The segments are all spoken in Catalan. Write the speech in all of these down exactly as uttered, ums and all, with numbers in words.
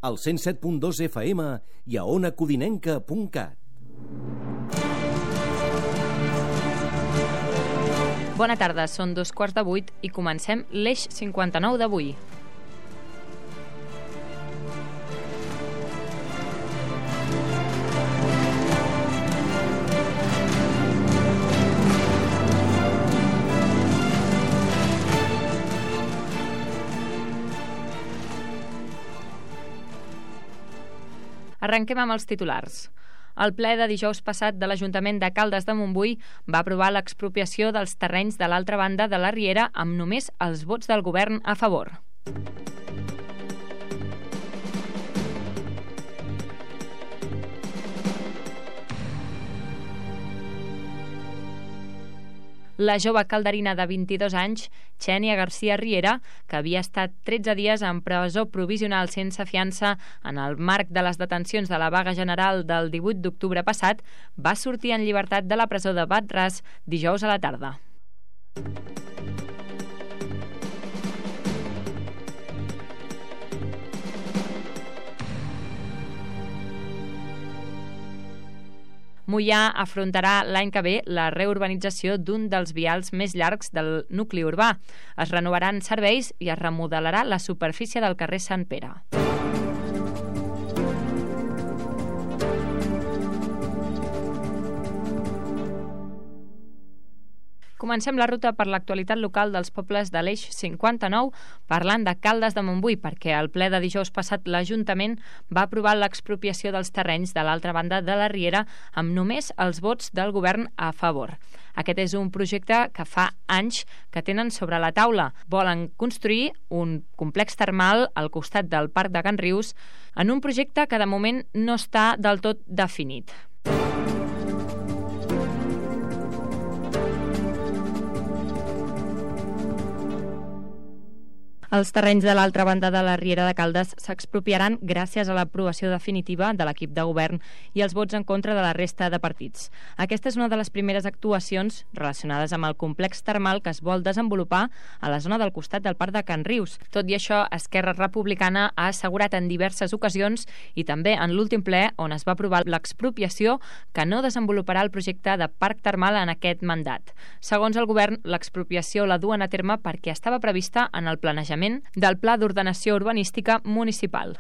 al cent set punt dos F M i a ona codinenca punt cat. Bona tarda, són dos quarts de vuit i comencem l'Eix cinquanta-nou d'avui. Arrenquem amb els titulars. El ple de dijous passat de l'Ajuntament de Caldes de Montbui va aprovar l'expropiació dels terrenys de l'altra banda de la Riera amb només els vots del govern a favor. La jove calderina de vint-i-dos anys, Xènia García Riera, que havia estat tretze dies en presó provisional sense fiança en el marc de les detencions de la vaga general del divuit d'octubre passat, va sortir en llibertat de la presó de Bat-ras dijous a la tarda. Moià afrontarà l'any que ve la reurbanització d'un dels vials més llargs del nucli urbà. Es renovaran serveis i es remodelarà la superfície del carrer Sant Pere. Comencem la ruta per l'actualitat local dels pobles de l'Eix cinquanta-nou parlant de Caldes de Montbui, perquè al ple de dijous passat l'Ajuntament va aprovar l'expropiació dels terrenys de l'altra banda de la Riera amb només els vots del govern a favor. Aquest és un projecte que fa anys que tenen sobre la taula. Volen construir un complex termal al costat del Parc de Can Rius en un projecte que de moment no està del tot definit. Els terrenys de l'altra banda de la Riera de Caldes s'expropiaran gràcies a l'aprovació definitiva de l'equip de govern i els vots en contra de la resta de partits. Aquesta és una de les primeres actuacions relacionades amb el complex termal que es vol desenvolupar a la zona del costat del Parc de Can Rius. Tot i això, Esquerra Republicana ha assegurat en diverses ocasions i també en l'últim ple on es va aprovar l'expropiació que no desenvoluparà el projecte de parc termal en aquest mandat. Segons el govern, l'expropiació la duen a terme perquè estava prevista en el planejament del Pla d'Ordenació Urbanística Municipal.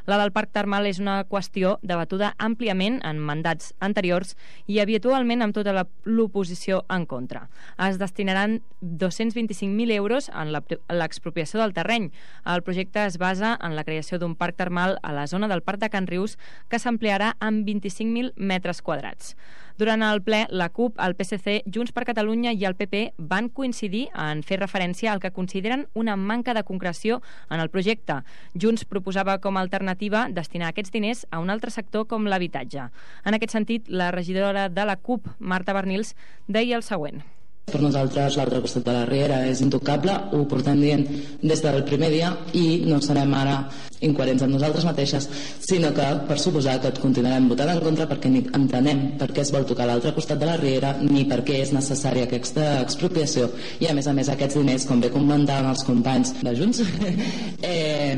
La del Parc Termal és una qüestió debatuda àmpliament en mandats anteriors i habitualment amb tota l'oposició en contra. Es destinaran dos-cents vint-i-cinc mil euros en l'expropiació del terreny. El projecte es basa en la creació d'un parc termal a la zona del Parc de Can Rius que s'ampliarà amb vint-i-cinc mil metres quadrats. Durant el ple, la CUP, el P S C, Junts per Catalunya i el P P van coincidir en fer referència al que consideren una manca de concreció en el projecte. Junts proposava com a alternativa destinar aquests diners a un altre sector com l'habitatge. En aquest sentit, la regidora de la CUP, Marta Bernils, deia el següent. Per nosaltres l'altre costat de la Riera és intocable, ho portem dient des del primer dia i no serem ara incoherents amb nosaltres mateixes, sinó que per suposar que et continuarem votant en contra perquè ni entenem per què es vol tocar l'altre costat de la Riera ni per què és necessària aquesta expropiació i a més a més aquests diners, com bé comentaven els companys de Junts, eh,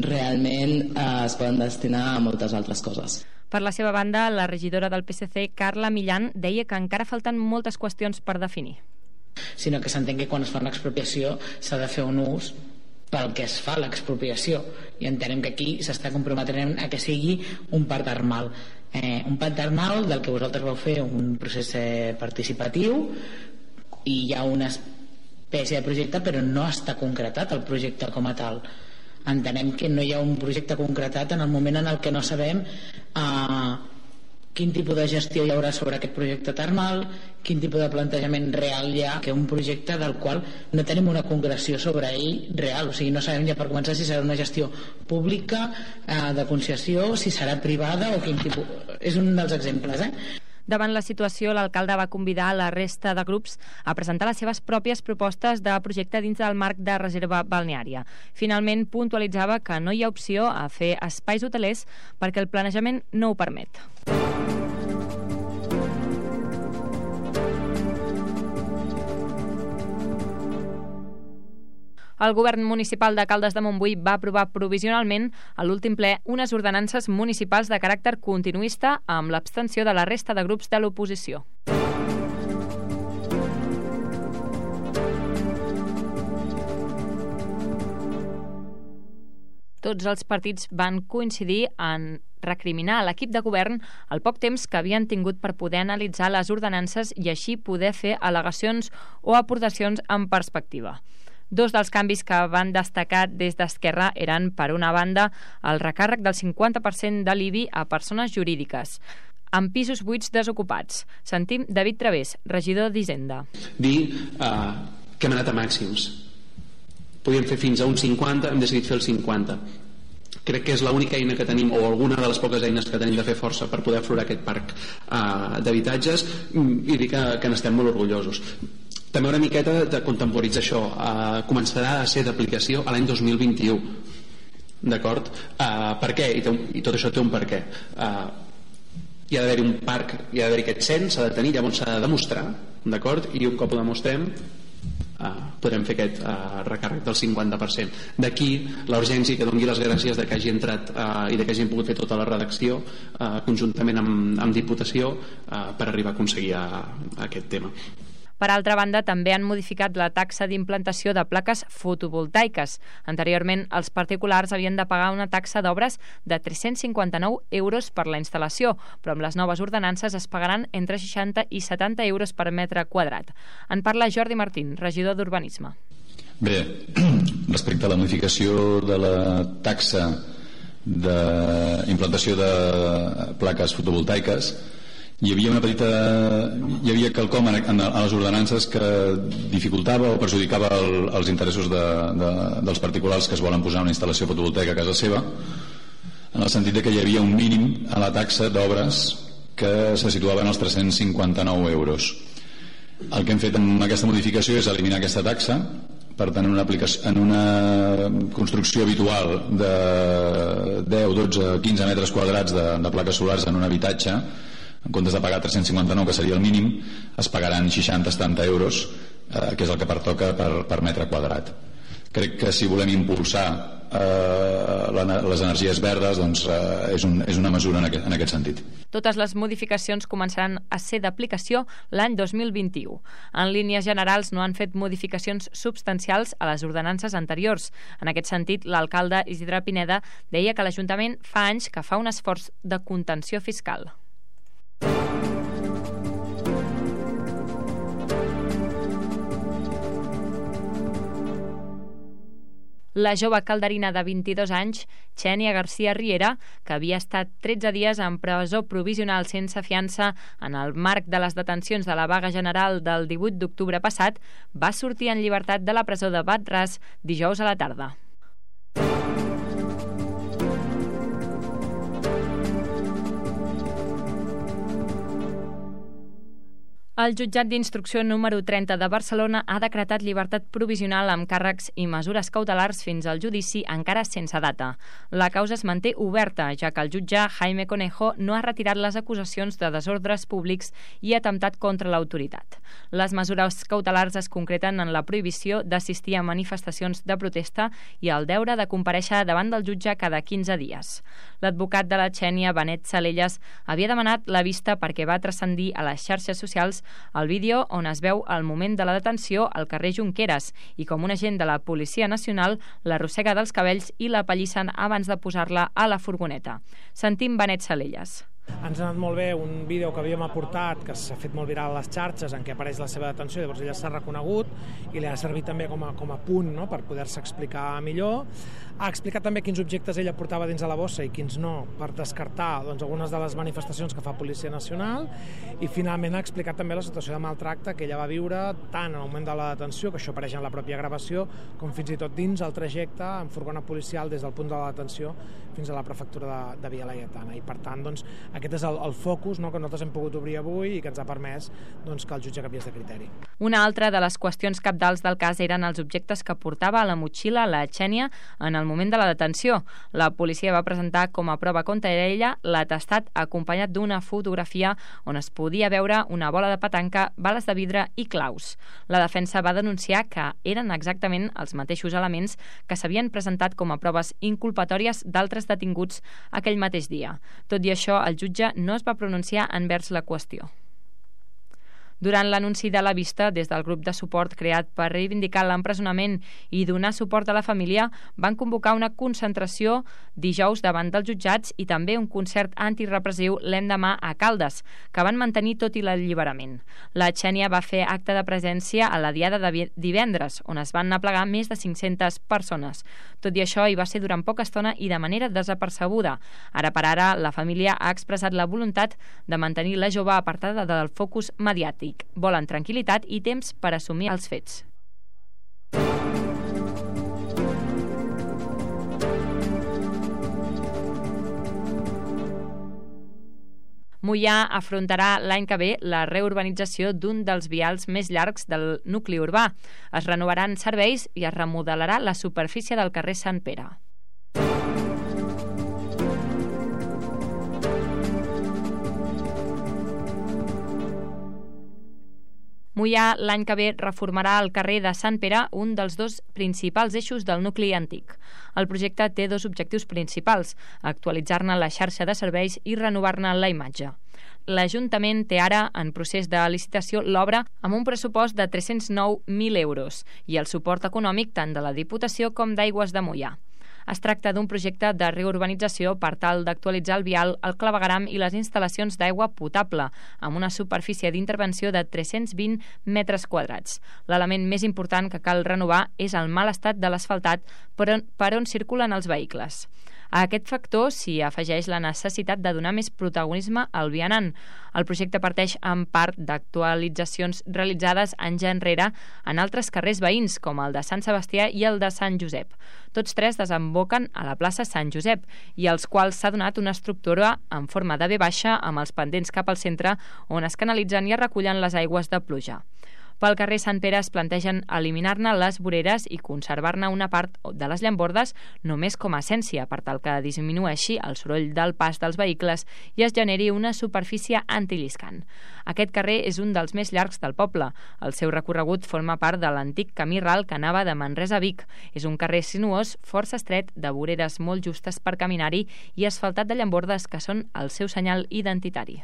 realment eh, es poden destinar a moltes altres coses. Per la seva banda, la regidora del P S C, Carla Millán, deia que encara falten moltes qüestions per definir. Sinó que s'entén que quan es fa una expropiació s'ha de fer un ús pel que es fa l'expropiació i entenem que aquí s'està comprometent a que sigui un parc termal. Eh, un parc termal del que vosaltres vau fer un procés eh, participatiu i hi ha una espècie de projecte però no està concretat el projecte com a tal. Entenem que no hi ha un projecte concretat en el moment en el que no sabem eh, quin tipus de gestió hi haurà sobre aquest projecte termal, quin tipus de plantejament real hi ha, que un projecte del qual no tenim una concreció sobre ell real, o sigui, no sabem ja per començar si serà una gestió pública, eh, de concessió, si serà privada o quin tipus... És un dels exemples, eh? Davant la situació, l'alcalde va convidar la resta de grups a presentar les seves pròpies propostes de projecte dins del marc de reserva balneària. Finalment, puntualitzava que no hi ha opció a fer espais hotelers perquè el planejament no ho permet. El govern municipal de Caldes de Montbui va aprovar provisionalment a l'últim ple unes ordenances municipals de caràcter continuista amb l'abstenció de la resta de grups de l'oposició. Tots els partits van coincidir en recriminar a l'equip de govern el poc temps que havien tingut per poder analitzar les ordenances i així poder fer al·legacions o aportacions en perspectiva. Dos dels canvis que van destacar des d'Esquerra eren, per una banda, el recàrrec del cinquanta per cent de l'I B I a persones jurídiques, amb pisos buits desocupats. Sentim David Través, regidor d'Hisenda. Dir uh, que hem anat a màxims. Podíem fer fins a un cinquanta, hem decidit fer el cinquanta. Crec que és l'única eina que tenim, o alguna de les poques eines que tenim de fer força per poder aflorar aquest parc uh, d'habitatges, i dir que, que n'estem molt orgullosos. També una miqueta de contemporitzar això. Uh, començarà a ser d'aplicació a l'any dos mil vint-i-u. D'acord? Uh, per què? I, un, I tot això té un per què. Uh, hi ha d'haver-hi un parc, hi ha d'haver-hi aquest cens, s'ha de tenir, llavors s'ha de demostrar, d'acord? I un cop ho demostrem, uh, podrem fer aquest uh, recàrrec del cinquanta per cent. D'aquí la urgència, que doni les gràcies de que hagi entrat uh, i de que hagin pogut fer tota la redacció uh, conjuntament amb, amb Diputació uh, per arribar a aconseguir a, a aquest tema. Per altra banda, també han modificat la taxa d'implantació de plaques fotovoltaiques. Anteriorment, els particulars havien de pagar una taxa d'obres de tres-cents cinquanta-nou euros per la instal·lació, però amb les noves ordenances es pagaran entre seixanta i setanta euros per metre quadrat. En parla Jordi Martín, regidor d'Urbanisme. Bé, respecte a la modificació de la taxa d'implantació de plaques fotovoltaiques, hi havia una petita hi havia quelcom en, en, en les ordenances que dificultava o perjudicava el, els interessos de, de, dels particulars que es volen posar una instal·lació fotovoltaica a casa seva, en el sentit de que hi havia un mínim a la taxa d'obres que se situava en els tres-cents cinquanta-nou euros. El que hem fet amb aquesta modificació és eliminar aquesta taxa. Per tant, en una, aplicació, en una construcció habitual de deu, dotze, quinze metres quadrats de, de plaques solars en un habitatge, en comptes de pagar tres-cents cinquanta-nou, que seria el mínim, es pagaran seixanta a setanta euros, eh, que és el que pertoca per, per metre quadrat. Crec que si volem impulsar eh, la, les energies verdes, doncs eh, és, un, és una mesura en aquest, en aquest sentit. Totes les modificacions començaran a ser d'aplicació l'any dos mil vint-i-u. En línies generals no han fet modificacions substancials a les ordenances anteriors. En aquest sentit, l'alcalde Isidre Pineda deia que l'Ajuntament fa anys que fa un esforç de contenció fiscal. La jove calderina de vint-i-dos anys, Xènia García Riera, que havia estat tretze dies en presó provisional sense fiança en el marc de les detencions de la vaga general del divuit d'octubre passat, va sortir en llibertat de la presó de Bat-ras dijous a la tarda. El jutjat d'instrucció número trenta de Barcelona ha decretat llibertat provisional amb càrrecs i mesures cautelars fins al judici encara sense data. La causa es manté oberta, ja que el jutge Jaime Conejo no ha retirat les acusacions de desordres públics i atemptat contra l'autoritat. Les mesures cautelars es concreten en la prohibició d'assistir a manifestacions de protesta i el deure de comparèixer davant del jutge cada quinze dies. L'advocat de la Xènia, Benet Salellas, havia demanat la vista perquè va transcendir a les xarxes socials el vídeo on es veu el moment de la detenció al carrer Junqueras i com un agent de la Policia Nacional l'arrossega dels cabells i la pallissen abans de posar-la a la furgoneta. Sentim Benet Salellas. Ens ha anat molt bé un vídeo que havíem aportat, que s'ha fet molt viral a les xarxes, en què apareix la seva detenció, llavors ella s'ha reconegut i li ha servit també com a, com a punt, no?, per poder-se explicar millor. Ha explicat també quins objectes ella portava dins de la bossa i quins no, per descartar doncs, algunes de les manifestacions que fa Policia Nacional, i finalment ha explicat també la situació de maltracte que ella va viure tant en el moment de la detenció, que això apareix en la pròpia gravació, com fins i tot dins el trajecte en furgona policial des del punt de la detenció fins a la prefectura de, de Via Laietana. I per tant, doncs, aquest és el, el focus, no?, que nosaltres hem pogut obrir avui i que ens ha permès, doncs, que el jutge canviés de criteri. Una altra de les qüestions cabdals del cas eren els objectes que portava a la motxilla la Xènia en el moment de la detenció. La policia va presentar com a prova contra ella l'atestat acompanyat d'una fotografia on es podia veure una bola de petanca, bales de vidre i claus. La defensa va denunciar que eren exactament els mateixos elements que s'havien presentat com a proves inculpatòries d'altres detinguts aquell mateix dia. Tot i això, el jutge no es va pronunciar envers la qüestió. Durant l'anunci de la vista, des del grup de suport creat per reivindicar l'empresonament i donar suport a la família, van convocar una concentració dijous davant dels jutjats i també un concert antirepressiu l'endemà a Caldes, que van mantenir tot i l'alliberament. La Xènia va fer acte de presència a la diada de divendres, on es van aplegar més de cinc-centes persones. Tot i això, hi va ser durant poca estona i de manera desapercebuda. Ara per ara, la família ha expressat la voluntat de mantenir la jove apartada del focus mediàtic. Volen tranquil·litat i temps per assumir els fets. Moià afrontarà l'any que ve la reurbanització d'un dels vials més llargs del nucli urbà. Es renovaran serveis i es remodelarà la superfície del carrer Sant Pere. Moià l'any que ve reformarà el carrer de Sant Pere, un dels dos principals eixos del nucli antic. El projecte té dos objectius principals: actualitzar-ne la xarxa de serveis i renovar-ne la imatge. L'Ajuntament té ara en procés de licitació l'obra amb un pressupost de tres-cents nou mil euros i el suport econòmic tant de la Diputació com d'Aigües de Moià. Es tracta d'un projecte de reurbanització per tal d'actualitzar el vial, el clavegueram i les instal·lacions d'aigua potable, amb una superfície d'intervenció de tres-cents vint metres quadrats. L'element més important que cal renovar és el mal estat de l'asfaltat per on, per on circulen els vehicles. A aquest factor s'hi afegeix la necessitat de donar més protagonisme al vianant. El projecte parteix en part d'actualitzacions realitzades anys enrere en altres carrers veïns, com el de Sant Sebastià i el de Sant Josep. Tots tres desemboquen a la plaça Sant Josep, i als quals s'ha donat una estructura en forma de V baixa amb els pendents cap al centre, on es canalitzen i es recullen les aigües de pluja. Pel carrer Sant Pere es plantegen eliminar-ne les voreres i conservar-ne una part de les llambordes només com a essència, per tal que disminueixi el soroll del pas dels vehicles i es generi una superfície antilliscant. Aquest carrer és un dels més llargs del poble. El seu recorregut forma part de l'antic camí ral que anava de Manresa a Vic. És un carrer sinuós, força estret, de voreres molt justes per caminar-hi i asfaltat de llambordes que són el seu senyal identitari.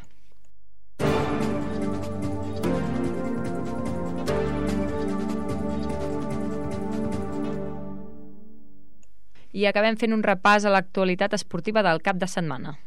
I acabem fent un repàs a l'actualitat esportiva del cap de setmana.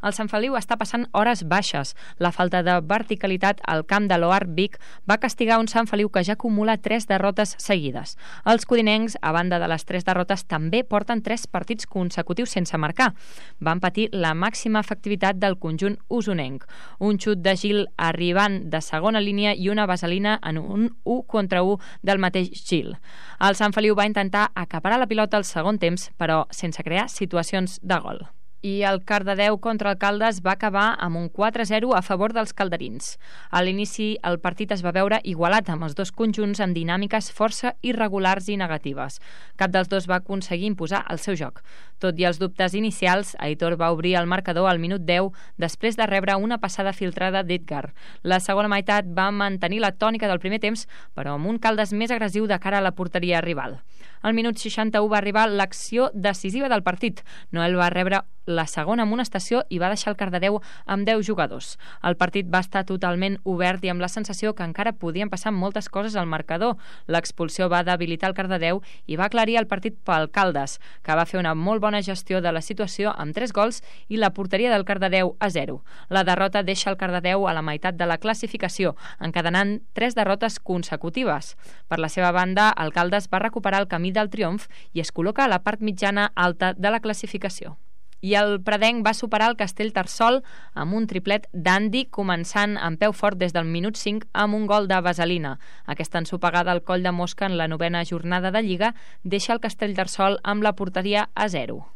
El Sant Feliu està passant hores baixes. La falta de verticalitat al camp de l'O A R Vic va castigar un Sant Feliu que ja acumula tres derrotes seguides. Els codinencs, a banda de les tres derrotes, també porten tres partits consecutius sense marcar. Van patir la màxima efectivitat del conjunt usonenc. Un xut de Gil arribant de segona línia i una vaselina en un u contra u del mateix Gil. El Sant Feliu va intentar acaparar la pilota al segon temps, però sense crear situacions de gol. I el Cardedeu contra el Caldes va acabar amb un quatre a zero a favor dels calderins. A l'inici, el partit es va veure igualat amb els dos conjunts amb dinàmiques força irregulars i negatives. Cap dels dos va aconseguir imposar el seu joc. Tot i els dubtes inicials, Aitor va obrir el marcador al minut deu després de rebre una passada filtrada d'Edgar. La segona meitat va mantenir la tònica del primer temps, però amb un Caldes més agressiu de cara a la porteria rival. Al minut seixanta-u va arribar l'acció decisiva del partit. Noel va rebre la segona amonestació i va deixar el Cardedeu amb deu jugadors. El partit va estar totalment obert i amb la sensació que encara podien passar moltes coses al marcador. L'expulsió va debilitar el Cardedeu i va aclarir el partit pel Caldes, que va fer una molt bona gestió de la situació amb tres gols i la porteria del Cardedeu a zero. La derrota deixa el Cardedeu a la meitat de la classificació, encadenant tres derrotes consecutives. Per la seva banda, el Caldes va recuperar el camí del triomf i es col·loca a la part mitjana alta de la classificació. I el Pradenc va superar el Castellterçol amb un triplet d'Andy, començant amb peu fort des del minut cinc amb un gol de Vaselina. Aquesta ensopegada al coll de mosca en la novena jornada de Lliga deixa el Castellterçol amb la porteria a zero.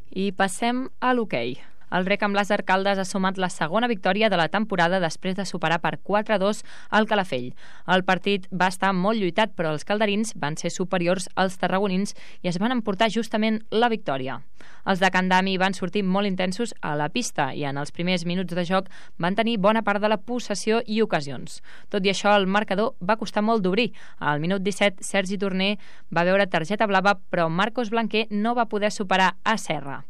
I passem a l'hoquei. El Rec amb Làser Caldes ha sumat la segona victòria de la temporada després de superar per quatre a dos al Calafell. El partit va estar molt lluitat, però els calderins van ser superiors als tarragonins i es van emportar justament la victòria. Els de Candami van sortir molt intensos a la pista i en els primers minuts de joc van tenir bona part de la possessió i ocasions. Tot i això, el marcador va costar molt d'obrir. Al minut disset, Sergi Torner va veure targeta blava, però Marcos Blanquer no va poder superar a Serra.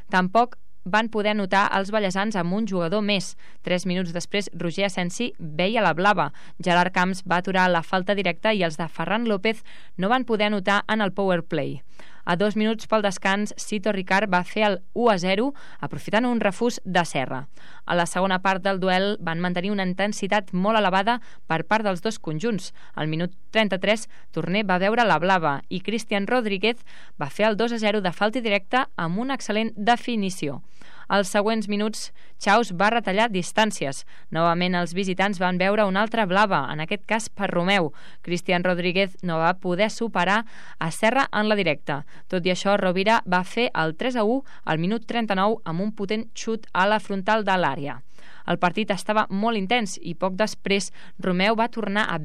Tampoc van poder anotar els ballesans amb un jugador més. Tres minuts després, Roger Asensi veia la blava. Gerard Camps va aturar la falta directa i els de Ferran López no van poder anotar en el power play. A dos minuts pel descans, Cito Ricard va fer el u a zero, aprofitant un refús de Serra. A la segona part del duel van mantenir una intensitat molt elevada per part dels dos conjunts. Al minut trenta-tres, Torner va veure la blava i Cristian Rodríguez va fer el dos a zero de falta directa amb una excel·lent definició. Als següents minuts, Chaus va retallar distàncies. Novament els visitants van veure una altra blava, en aquest cas per Romeu. Cristian Rodríguez no va poder superar a Serra en la directa. Tot i això, Rovira va fer el tres a u al minut trenta-nou amb un potent xut a la frontal de l'àrea. El partit estava molt intens i poc després Romeu va tornar a veure